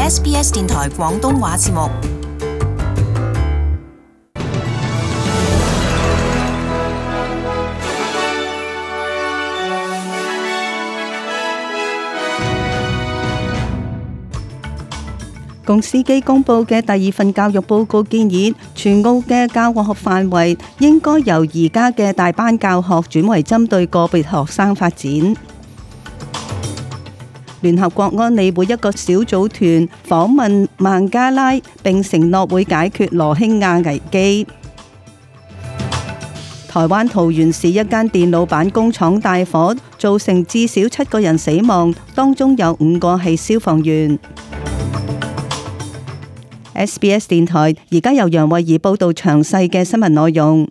SBS 電台廣東話節目。共司機公佈嘅第二份教育報告建議，全澳嘅教學範圍應該由而家嘅大班教學轉為針對個別學生發展。聯合國安理會一個小組團訪問孟加拉，並承諾會解決羅興亞危機。台灣桃園市一間電腦板工廠大火，造成至少7個人死亡，當中有5個係消防員。SBS 電台而家由楊慧儀報道詳細嘅新聞內容。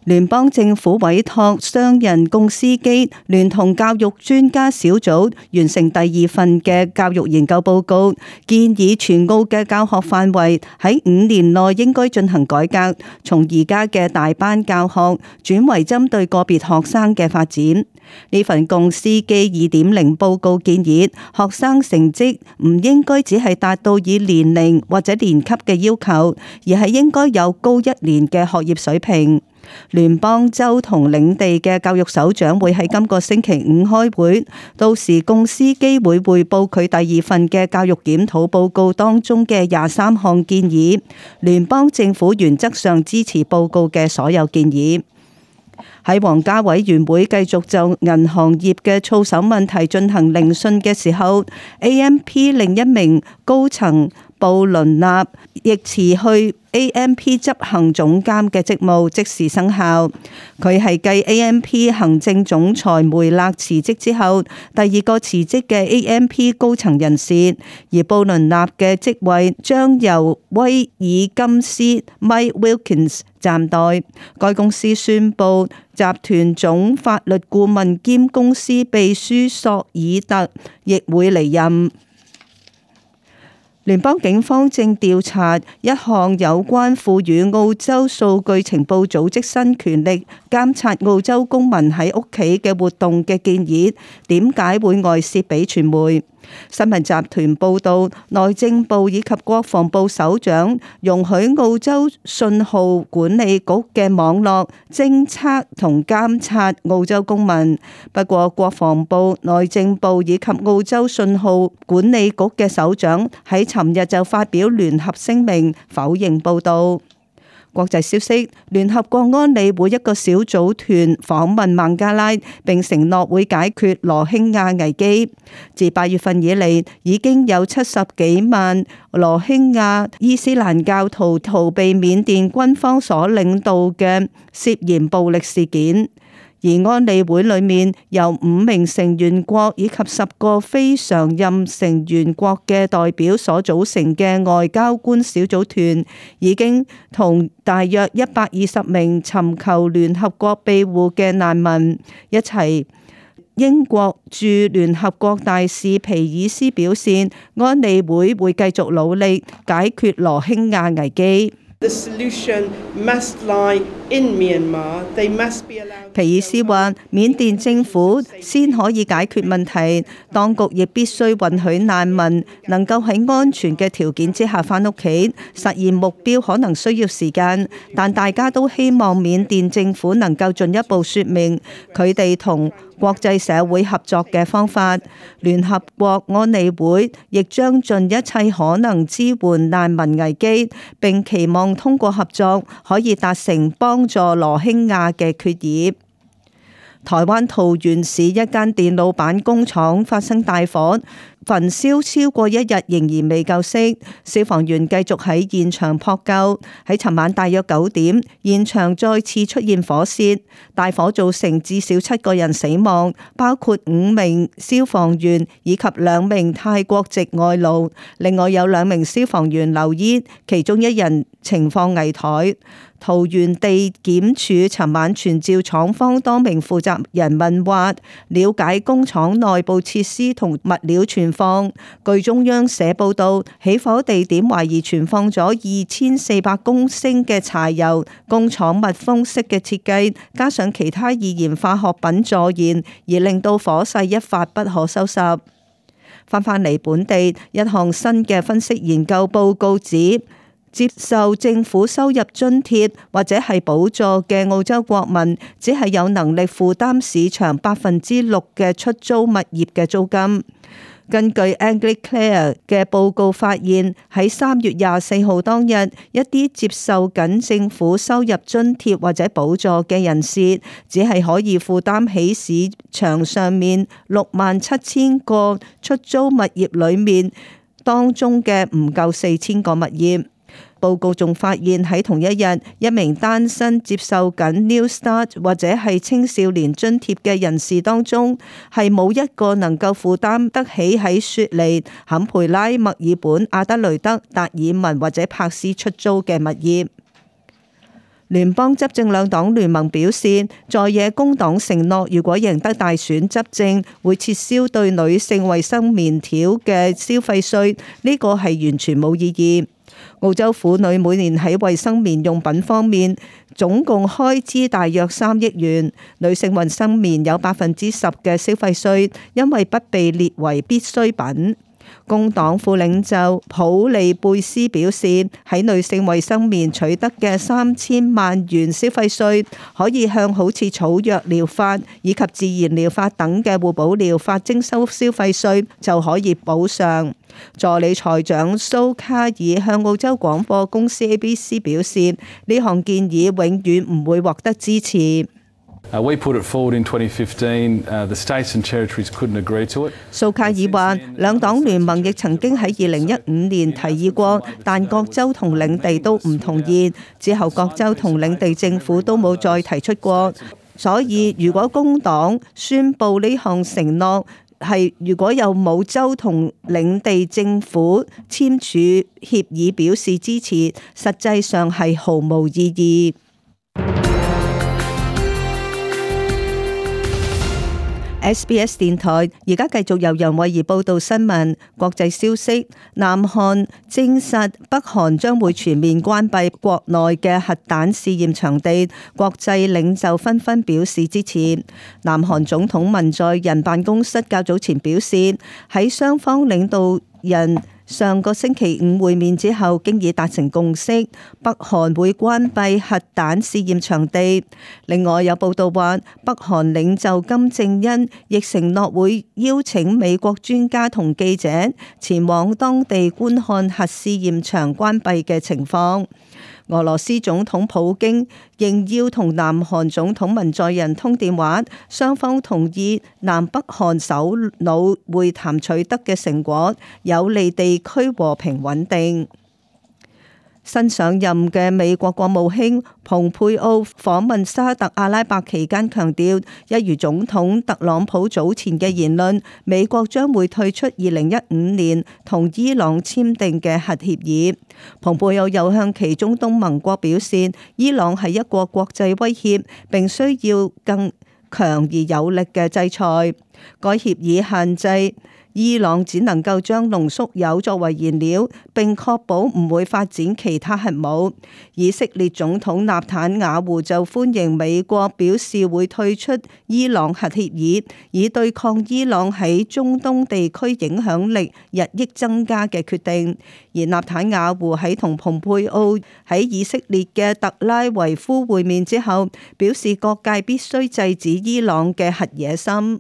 聯邦政府委託商人共司機聯同教育專家小組完成第二份嘅教育研究報告，建議全澳嘅教學範圍喺5年內應該進行改革，從而家嘅大班教學轉為針對個別學生嘅發展。呢份共司機 2.0 報告建議，學生成績唔應該只係達到以年齡或者年級嘅要求，而係應該有高1年嘅學業水平。聯邦、州同領地嘅教育首長會喺今個星期5開會，到時共司機會匯報佢第二份嘅教育檢討報告當中嘅23項建議。聯邦政府原則上支持報告嘅所有建議。喺皇家委員會繼續就銀行業嘅操守問題進行聆訊嘅時候， AMP 另一名高層布倫納亦辭去 AMP 執行總監嘅職務，即時生效。佢係繼 AMP 行政總裁梅勒辭職之後第二個辭職嘅 AMP 高層人士，而布倫納嘅職位將由威爾金斯 Mike Wilkins 暫代。該公司宣布集團總法律顧問兼公司秘書索爾特亦會離任。聯邦警方正調查一項有關賦予澳洲數據情報組織新權力監察澳洲公民喺屋企嘅活動嘅建議，點解會外泄俾傳媒？新聞集團報道，內政部以及國防部首長容許澳洲信號管理局嘅網絡偵測同監察澳洲公民。不過，國防部、內政部以及澳洲信號管理局嘅首長喺尋日就發表聯合聲明，否認報道。國際消息，聯合國安理會一個小組團訪問孟加拉，並承諾會解決羅興亞危機。自8月份以嚟，已經有70幾萬羅興亞伊斯蘭教徒逃避緬甸軍方所領導嘅涉嫌暴力事件。而安理會裏面由5名成員國以及10個非常任成員國嘅代表所組成嘅外交官小組團，已經同大約120名尋求聯合國庇護嘅難民一齊。英國駐聯合國大使皮爾斯表示，安理會會繼續努力解決羅興亞危機。皮爾斯話：緬甸政府先可以解決問題，當局亦必須允許難民能夠喺安全嘅條件之下返屋企。實現目標可能需要時間，但大家都希望緬甸政府能夠進一步說明佢哋同國際社會合作嘅方法。聯合國安理會亦將盡一切可能支援難民危機，並期望通過合作可以達成幫助羅興亞嘅決議。台灣桃園市一間電腦板工廠發生大火，焚燒超過1日，仍然未救熄。消防員繼續喺現場撲救。喺尋晚大約9點，現場再次出現火舌，大火造成至少7個人死亡，包括5名消防員以及2名泰國籍外勞。另外有2名消防員留醫，其中1人情況危殆。桃園地檢署尋晚傳召廠方多名負責人問話，了解工廠內部設施同物料存放。據中央社報道，起火地點懷疑存放咗2400公升嘅柴油。工廠密封式嘅設計，加上其他易燃化學品助燃，而令到火勢一發不可收拾。返嚟本地，一項新嘅分析研究報告指，接受政府收入津貼或者係補助嘅澳洲國民，只係有能力負擔市場6%嘅出租物業嘅租金。根據 Anglicare 嘅報告發現，喺3月24號當日，一啲接受緊政府收入津貼或者補助嘅人士，只係可以負擔起市場上面67000個出租物業裏面當中嘅唔夠4000個物業。報告仲發現喺同一日，一名單身接受緊 New Start 或者係青少年津貼嘅人士當中，係冇一個能夠負擔得起喺雪梨、坎培拉、墨爾本、阿德雷德、達爾文或者柏斯出租嘅物業。聯邦執政兩黨聯盟表示，在野工黨承諾，如果贏得大選執政，會撤銷對女性衛生棉條嘅消費稅，呢個係完全冇意義。澳洲婦女每年喺衛生棉用品方面總共開支大約3億元，女性衛生棉有10%嘅消費稅，因為不被列為必需品。工黨副領袖普利貝斯表示，喺女性衛生棉取得嘅3000萬元消費稅，可以向好似草藥療法以及自然療法等嘅互補療法徵收消費稅，就可以補償。助理財長蘇卡爾向澳洲廣播公司 ABC 表示，呢項建議永遠唔會獲得支持。We put it forward in 2015. The states and territories couldn't agree to it. 蘇卡爾話，兩黨聯盟亦曾經喺2015年提議過，但各州同領地都唔同意。之後各州同領地政府都冇再提出過。所以如果工黨宣布呢項承諾，如果有冇州同領地政府簽署協議表示支持，實際上係毫無意義。SBS 電台而家繼續由楊慧儀報道新聞。國際消息，南韓證實北韓將會全面關閉國內嘅核彈試驗場地，國際領袖紛紛表示支持。南韓總統文在寅辦公室較早前表示，喺雙方領導人上個星期五會面之後，經已達成共識，北韓會關閉核彈試驗場地。另外有報道話，北韓領袖金正恩亦承諾會邀請美國專家同記者前往當地觀看核試驗場關閉嘅情況。俄羅斯總統普京應邀同南韓總統文在寅通電話，雙方同意南北韓首腦會談取得嘅成果，有利地區和平穩定。新上任嘅美國國務卿蓬佩奧訪問沙特阿拉伯期間強調，一如總統特朗普早前嘅言論，美國將會退出2015年同伊朗簽訂嘅核協議。蓬佩奧又向其中東盟國表示，伊朗係一個國際威脅，並需要更強而有力嘅制裁。該協議限制伊朗只能夠將濃縮鈾作為燃料，並確保唔會發展其他核武。以色列總統納坦雅胡就歡迎美國表示會退出伊朗核協議，以對抗伊朗喺中東地區影響力日益增加嘅決定。而納坦雅胡喺同蓬佩奧喺以色列嘅特拉維夫會面之後，表示各界必須制止伊朗嘅核野心。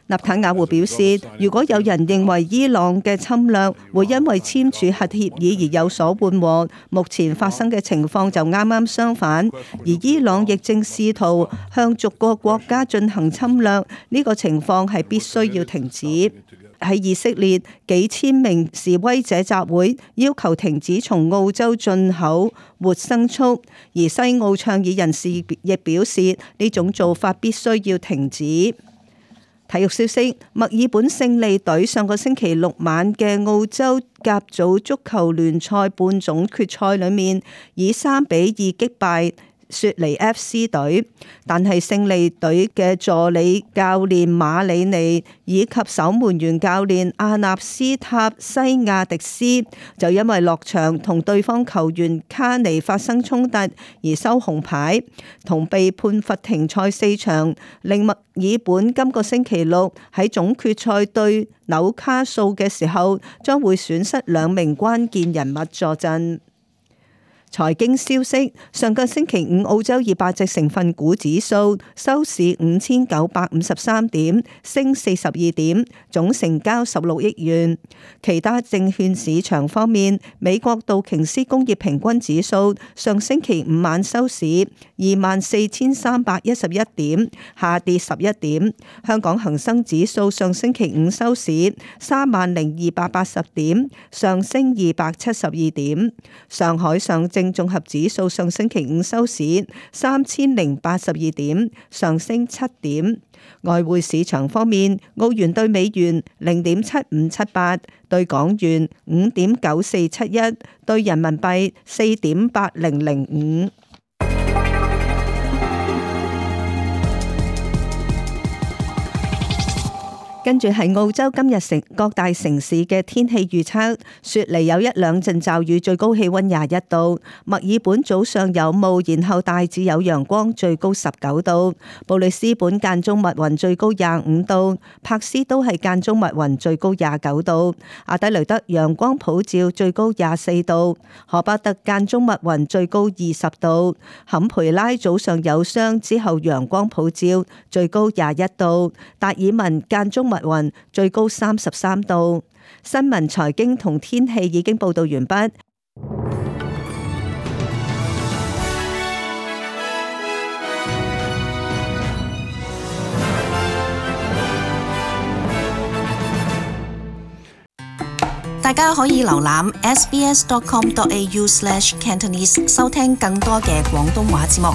納坦雅胡表示，如果有人認為伊朗嘅侵略會因為簽署核協議而有所緩和，目前發生嘅情況就啱啱相反，而伊朗亦正試圖向逐個國家進行侵略，呢個情況係必須要停止。喺以色列，幾千名示威者集會，要求停止從澳洲進口活牲畜，而西澳倡議人士亦表示呢種做法必須要停止。體育消息，墨爾本勝利隊上個星期六晚嘅澳洲甲組足球聯賽半總決賽裏面，以3-2擊敗雪梨 FC 隊，但係勝利隊嘅助理教練馬里尼以及守門員教練阿納斯塔西亞迪斯就因為落場同對方球員卡尼發生衝突而收紅牌，同被判罰停賽4場，令墨爾本今個星期六喺總決賽對紐卡素嘅時候將會損失2名關鍵人物坐鎮。財經消息，上個星期五澳洲200隻成分股指數收市5953點，升42點，總成交16億元。其他證券市場方面，美國道瓊斯工業平均指數上星期五晚收市24,311點，下跌11點。香港恒生指數上星期五收市30,280點，上升272點。上海上證綜合指數上星期五收市3082點，上升7點。外匯市場方面，澳元兌美元0.7578，兌港元5.9471，兌人民幣4.8005。跟住係澳洲今日各大城市嘅天氣預測，雪梨有1-2陣驟雨，最高氣溫21度；墨爾本早上有霧，然後大致有陽光，最高19度；布里斯本間中密雲，最高25度；柏斯都係間中密雲，最高29度；阿德雷德陽光普照，最高24度；荷巴特間中密雲，最高20度；坎培拉早上有霜，之後陽光普照，最高21度；達爾文間中密雲，最高33度。新聞、財經同天氣已經報道完畢。大家可以瀏覽 sbs.com.au/cantonese 收聽更多嘅廣東話節目。